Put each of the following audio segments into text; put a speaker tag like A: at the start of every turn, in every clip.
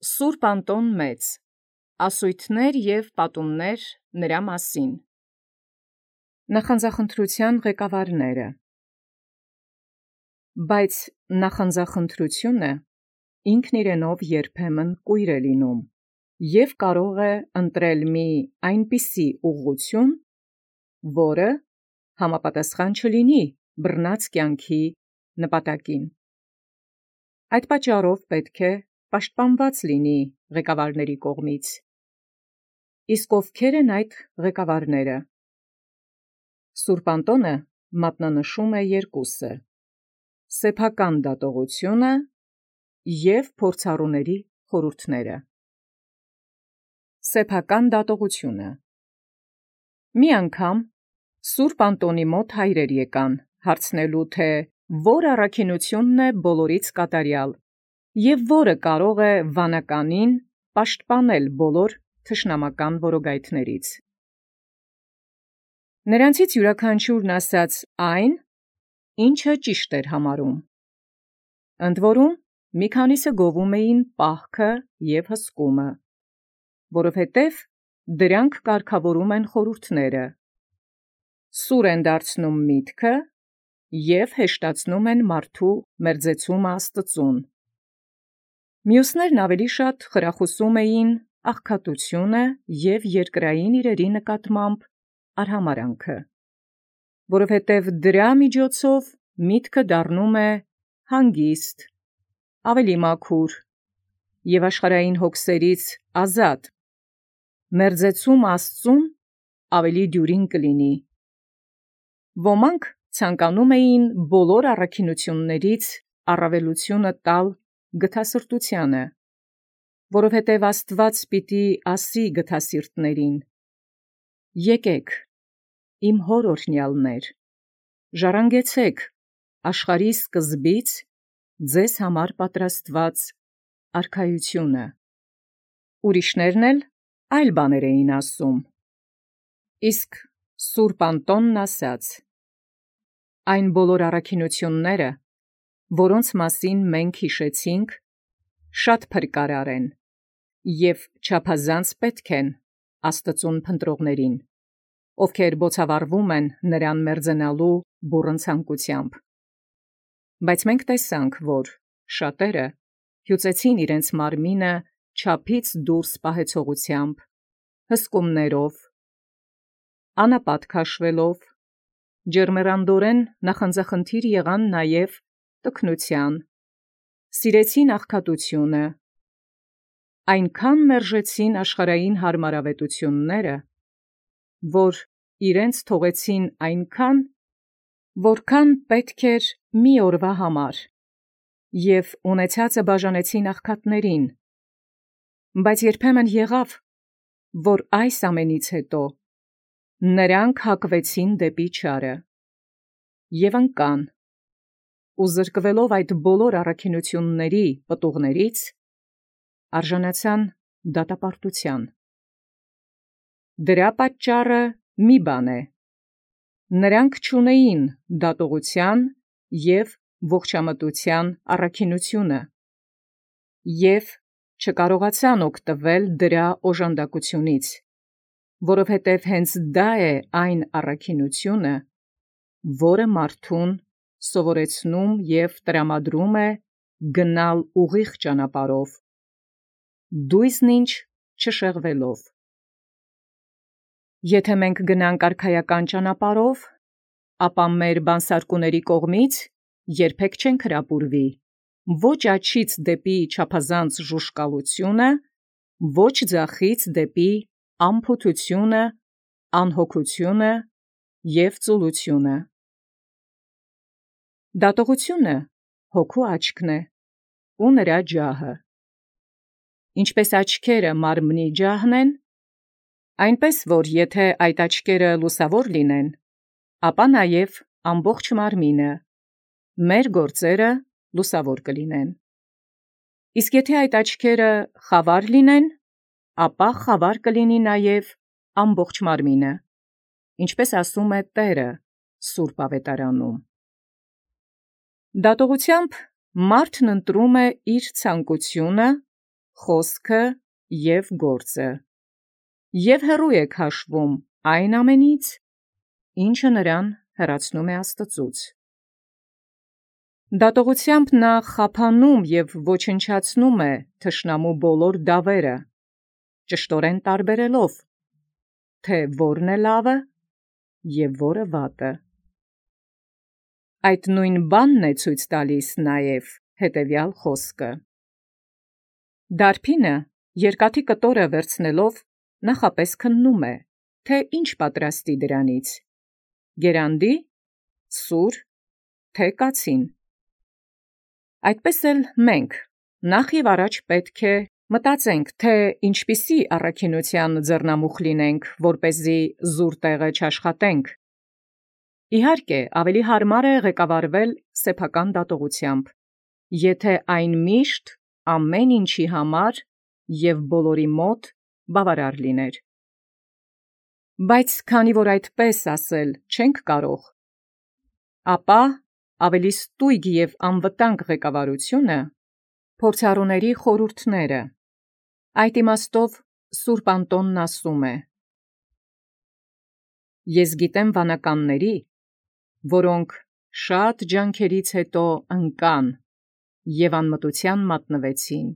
A: Սուրբ Անտոն Մեծ, ասույթներ և պատումներ նրա մասին։ Նախանձախնդրության ղեկավարները։ Բայց նախանձախնդրությունը ինքն իրենով երբեմն կույր է լինում և կարող է ընտրել մի այնպիսի ուղղություն, որը համապատասխան չլինի բռնած կյանքի նպատակին։ Այդ պատճառով պետք է պաշտպանված լինի ղեկավարների կողմից։ Իսկ ովքեր են այդ ղեկավարները։ Սուրբ Անտոնը մատնանշում է երկուսը՝ սեփական դատողությունը և փորձառուների խորհուրդները։ Սեփական դատողությունը։ Մի անգամ Սուրբ Անտոնի մոտ հայրեր եկան հարցնելու, թե որ առաքինությունն է բոլորից կատարյալ և որը կարող է վանականին պաշտպանել բոլոր թշնամական որոգայթներից։ Նրանցից յուրաքանչյուրն ասաց այն, ինչը ճիշտ էր համարում։ Ընդ որում մի քանիսը գովում էին պահքը և հսկումը, որովհետև դրանք կարգավորում են խորհուրդները, սուր են դարձնում միտքը և հեշտացնում են մարդու մերձեցումը Աստծուն։ Մյուսներն ավելի շատ խրախուսում էին աղքատությունը և երկրային իրերի նկատմամբ արհամարհանքը, որովհետև դրա միջոցով միտքը դառնում է հանգիստ, ավելի մաքուր և աշխարհային հոգսերից ազատ, մերձեցումը Աստծուն ավելի դյուրին կլինի։ Ոմանք ցանկանում էին բոլոր առաքինություններից առավելությունը տալ գթասրտությանը, որովհետև Աստված պիտի ասի գթասիրտներին. «Եկեք, իմ հոր օրհնյալներ, ժառանգեցեք աշխարհի սկզբից ձեզ համար պատրաստված արքայությունը»։ Ուրիշներն էլ այլ բաներ էին ասում։ Իսկ Սուրբ Անտոնն ասաց. «Այն բոլոր առաքինությունները, որոնց մասին մենք հիշեցինք, շատ փրկարար են և չափազանց պետք են Աստծուն փնտրողներին, ովքեր բոցավառվում են նրան մերձենալու բուռն ցանկությամբ։ Բայց մենք տեսանք, որ շատերը հյուծեցին իրենց մարմինը չափից դուրս պահեցողությամբ, հսկումներով, անապատ քաշվելով, ջերմեռանդորեն նախանձախնդիր եղան նաև տքնության, սիրեցին աղքատությունը, այնքան մերժեցին աշխարհային հարմարավետությունները, որ իրենց թողեցին այնքան, որքան պետք էր մի օրվա համար, և ունեցածը բաժանեցին աղքատներին։ Բայց երբեմն եղավ, որ այս ամենից հետո նրանք հակվեցին դեպի չարը և ընկան, ու զրկվելով այդ բոլոր առաքինությունների պտուղներից, արժանացան դատապարտության։ Դրա պատճառը մի բան է. նրանք չունեին դատողության և ողջամտության առաքինությունը և չկարողացան օգտվել դրա օժանդակությունից, որովհետև հենց դա է այն առաքինությունը, որը մարդուն սովորեցնում և տրամադրում է գնալ ուղիղ ճանապարհով, դույզն ինչ չշեղվելով։ Եթե մենք գնանք արքայական ճանապարհով, ապա մեր բանսարկուների կողմից երբեք չենք հրապուրվի ոչ աջից դեպի չափազանց ժուժկալությունը, ոչ ձախից դեպի անփութությունը, անհոգությունը և ծուլությունը։ Դատողությունը հոգու աչքն է ու նրա ջահը։ Ինչպես աչքերը մարմնի ջահն են, այնպես որ եթե այդ աչքերը լուսավոր լինեն, ապա նաև ամբողջ մարմինը, մեր գործերը լուսավոր կլինեն։ Իսկ եթե այդ աչքերը խավար լինեն, ապա խավար կլինի նաև ամբողջ մարմինը, ինչպես ասում է Տերը Սուրբ Ավետարանում։ Դատողությամբ մարդն ընտրում է իր ցանկությունը, խոսքը և գործը, և հեռու եք հաշվում այն ամենից, ինչը նրան հեռացնում է Աստծուց։ Դատողությամբ նա խափանում և ոչնչացնում է թշնամու բոլոր դավերը, ճշտորեն տարբերելով, թե որն է լավը և որը վատը։ Այդ նույն բանն է ցույց տալիս նաև հետևյալ խոսքը. Դարբինը երկաթի կտորը վերցնելով նախապես քննում է, թե ինչ պատրաստի դրանից, գերանդի, սուր, թե կացին։ Այդպես էլ մենք նախ և առաջ պետք է մտածենք, թե ինչպիսի առաքինության ձեռնամուխ լինենք, որպեսզի զուր տեղը չաշխատենք։ Իհարկե, ավելի հարմար է ղեկավարվել սեփական դատողությամբ, եթե այն միշտ ամեն ինչի համար և բոլորի մոտ բավարար լիներ։ Բայց քանի որ այդպես ասել չենք կարող, ապա ավելի ստույգ և անվտանգ ղեկավարությունը փորձառուների խորհուրդները։ Այդ իմաստով Սուրբ Անտոնն ասում է. «Ես գիտեմ վանականների, որոնք շատ ջանքերից հետո ընկան և անմտության մատնվեցին,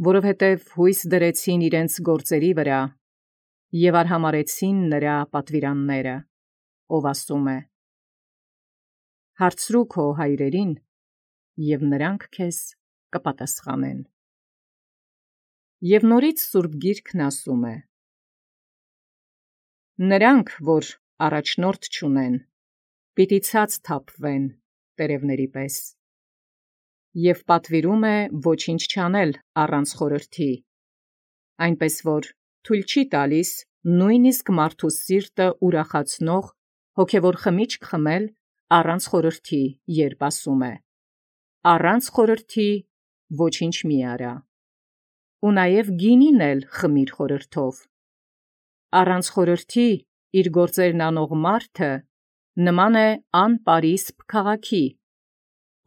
A: որովհետև հույս դրեցին իրենց գործերի վրա և արհամարհեցին նրա պատվիրանները, ով ասում է. հարցրու քո հայրերին, և նրանք քեզ կպատասխանեն»։ Եվ նորից Սուրբ Գիրքն ասում է. «Նրանք, որ առաջնորդ չունեն, պիտի ցած թափվեն տերևների պես»։ Եվ պատվիրում է ոչինչ չանել առանց խորհրդի, այնպես որ թույլ չի տալիս նույնիսկ մարդու սիրտը ուրախացնող հոգևոր խմիչք խմել առանց խորհրդի, երբ ասում է. «Առանց խորհրդի ոչինչ մի արա»։ Ու նաև գինին էլ խմիր խորհրդով։ Առանց խորհրդի իր գործերն անող մարդը նման է անպարիսպ քաղաքի,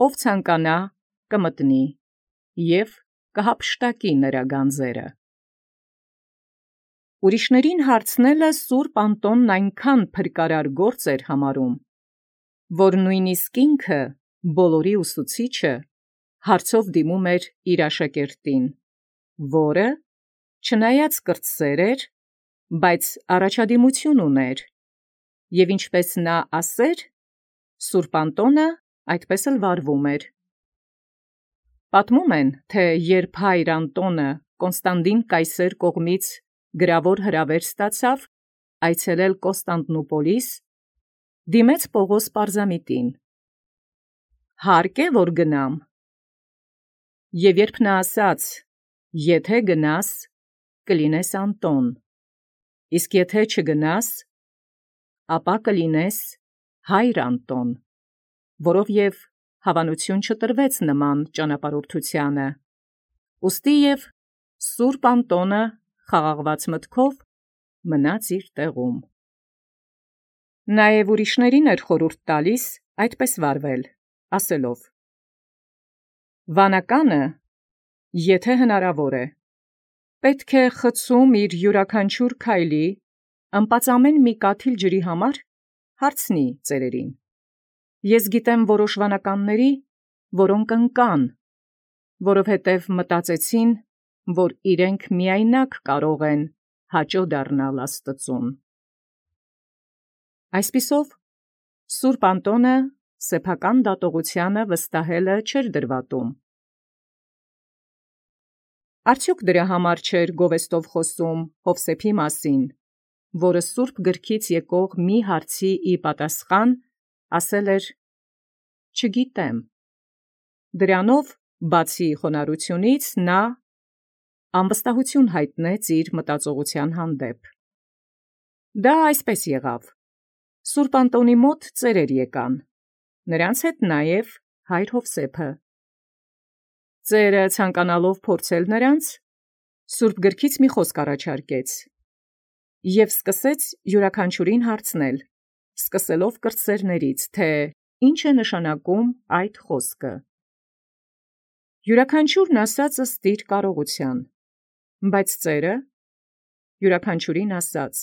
A: ով ցանկանա կմտնի և կհափշտակի նրա գանձերը։ Ուրիշներին հարցնելը Սուրբ Անտոնն այնքան փրկարար գործ էր համարում, որ նույնիսկ ինքը, բոլորի ուսուցիչը, հարցով դիմում էր իր աշակերտին, որը, չնայած կրտսեր էր, բայց առաջադիմություն ուներ, և ինչպես նա ասեր, Սուրբ Անտոնը այդպես էլ վարվում էր։ Պատմում են, թե երբ հայր Անտոնը Կոնստանդին կայսեր կողմից գրավոր հրավեր ստացավ այցելել Կոստանդնուպոլիս, դիմեց Պողոս պարզամիտին. «Հարկ է, որ գնամ»։ Եվ երբ նա ասաց. «Եթե գնաս, կլինես Անտոն, իսկ եթե չգնաս, ապա կլինես հայր Անտոն», որով հավանություն չտրվեց նման ճանապարհորդությանը, ուստի և Սուրբ Անտոնը խաղաղված մտքով մնաց իր տեղում։ Նաև ուրիշներին էր խորհուրդ տալիս այդպես վարվել, ասելով. «Վանականը, եթե հնարավոր է, պետք է խցում իր յուրաքանչյուր քայլի ըմպածամեն մի կաթիլ ջրի համար հարցնի ծերերին։ Ես գիտեմ որոշ վանականների, որոնք ընկան, որովհետև մտածեցին, որ իրենք միայնակ կարող են հաճո դառնալ Աստծուն»։ Այսպիսով, Սուրբ Անտոնը սեփական դատողությանը վստահելը չէր դրվատում։ Արդյոք դրա համար չէր գովեստով խոսում Հովսեփի մասին, որը Սուրբ Գրքից եկող մի հարցի ի պատասխան ասել էր. «Չգիտեմ»։ Դրանով, բացի խոնարհությունից, նա անվստահություն հայտնեց իր մտածողության հանդեպ։ Դա այսպես եղավ. Սուրբ Անտոնի մոտ ծերեր եկան, նրանց հետ նաև հայր Հովսեփը։ Ծերը ցանկանալով փորձել նրանց, Սուրբ Գրքից մի խոսք առաջարկեց և սկսեց յուրաքանչյուրին հարցնել, սկսելով կրտսերներից, թե ինչ է նշանակում այդ խոսքը։ Յուրաքանչյուրն ասածը ստիր կարողության, բայց ծերը յուրաքանչյուրին ասաց.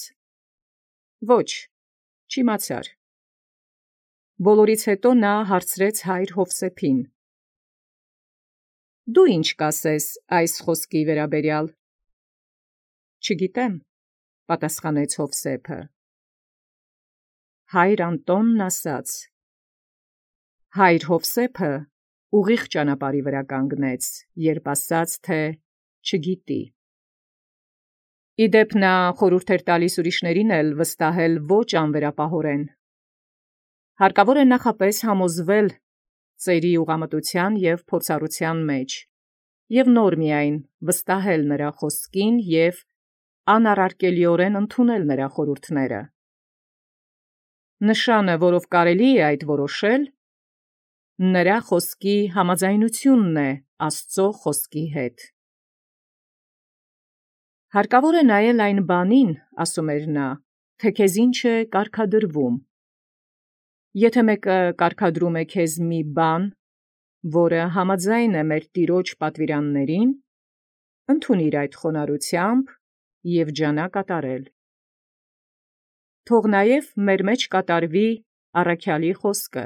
A: ոչ, չիմացար։ Բոլորից հետո նա հարցրեց հայր Յովսեփին. դու ինչ կասես այս խոսքի վերաբերյալ։ Չգիտեմ, պատասխանեց Յովսեփը։ Հայր Անտոնն ասաց. հայր Յովսեփը ուղիղ ճանապարհի վրա կանգնեց, երբ ասաց, թե չգիտի։ Իդեպ նա խորհուրդ էր տալիս ուրիշներին էլ վստահել ոչ անվերապահորեն։ Հարկավոր է նախապես համոզվել ծերի ուղղամտության և փորձառության մեջ, և նոր միայն վստահել նրա խոսքին և անառարկելիորեն ընդունել նրա խորհուրդները։ Նշանը, որով կարելի է այդ որոշել, նրա խոսքի համաձայնությունն է Աստծո խոսքի հետ։ Հարկավոր է նայել այն բանին, ասում էր նա, թե քեզ ինչ է կարգադրվում։ Եթե մեկը կարգադրում է քեզ մի բան, որը համաձայն է մեր Տիրոջ պատվիրաններին, ընդունիր այդ խոնարհությամբ և ջանա կատարել։ Թող նաև մեր մեջ կատարվի առաքյալի խոսքը.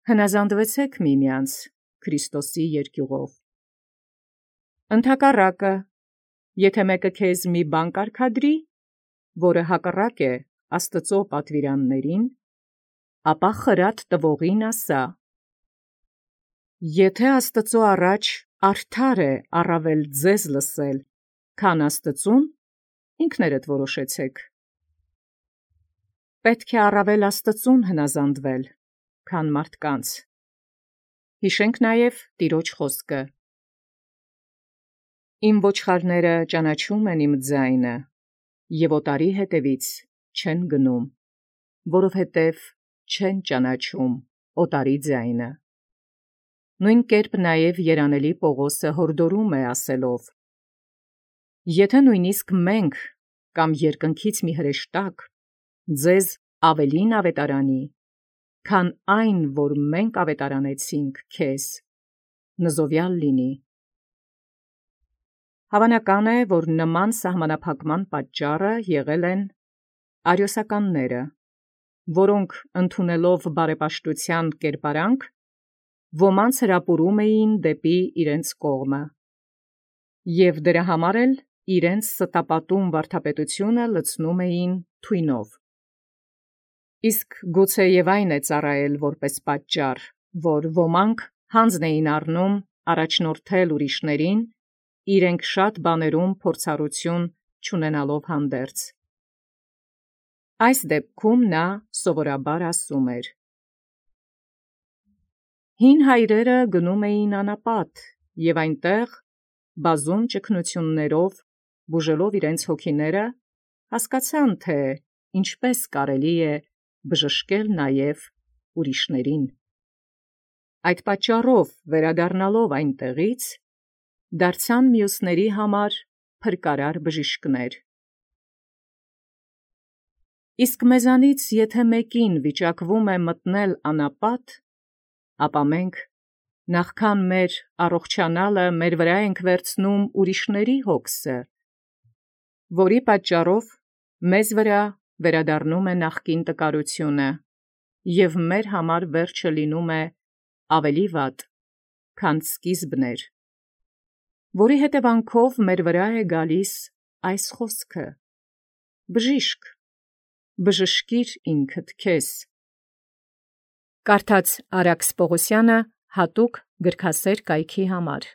A: հնազանդվեցեք միմյանց Քրիստոսի երկյուղով։ Ընդհակառակը, եթե մեկը քեզ մի բան կարգադրի, որը հակառակ է Աստծո պատվիրաններին, ապա խրատ տվողին ասա. եթե Աստծո առաջ արդար է առավել ձեզ լսել, քան Աստծուն, ինքներդ որոշեցեք։ Պետք է առավել Աստծուն հնազանդվել, քան մարդկանց։ Հիշենք նաև Տիրոջ խոսքը. Իմ ոչխարները ճանաչում են իմ ձայնը, և օտարի հետևից չեն գնում, որովհետև չեն ճանաչում օտարի ձայնը։ Նույն կերպ նաև երանելի Պողոսը հորդորում է ասելով. եթե նույնիսկ մենք կամ երկնքից մի հրեշտակ ձեզ ավելին ավետարանի, քան այն, որ մենք ավետարանեցինք քեզ, նզովյալ լինի։ Հավանական է, որ նման սահմանափակման պատճառը եղել են արիոսականները, որոնք ընդունելով բարեպաշտության կերպարանք, ոմանց հրապուրում էին դեպի իրենց կողմը, և դրա համար էլ իրենց ստապատում վարդապետությունը լցնում էին թույնով։ Իսկ գուցե և այն է ծառայել որպես պատճառ, որ ոմանք հանձն էին առնում առաջնորդել ուրիշներին, իրենք շատ բաներում փորձառություն չունենալով հանդերձ։ Այս դեպքում նա սովորաբար ասում էր. հին հայրերը գնում էին անապատ և այնտեղ, բազում ճգնություններով բուժելով իրենց հոգիները, հասկացան, թե ինչպես կարելի է բժշկել նաև ուրիշներին։ Այդ պատճառով, վերադառնալով այնտեղից, դարձան մյուսների համար փրկարար բժիշկներ։ Իսկ մեզանից եթե մեկին վիճակվում է մտնել անապատ, ապա մենք նախքան մեր առողջանալը մեր վրա ենք վերցնում ուրիշների հոգսը, որի պատճառով մեզ վրա վերադառնում է նախկին տկարությունը, և մեր համար վերջը լինում է ավելի վատ, քան սկիզբն էր, որի հետևանքով մեր վրա է գալիս այս խոսքը. «Բժիշկ, բժշկիր ինքդ քեզ»։ Կարդաց Արաքս Պողոսյանը հատուկ գրքասեր կայքի համար։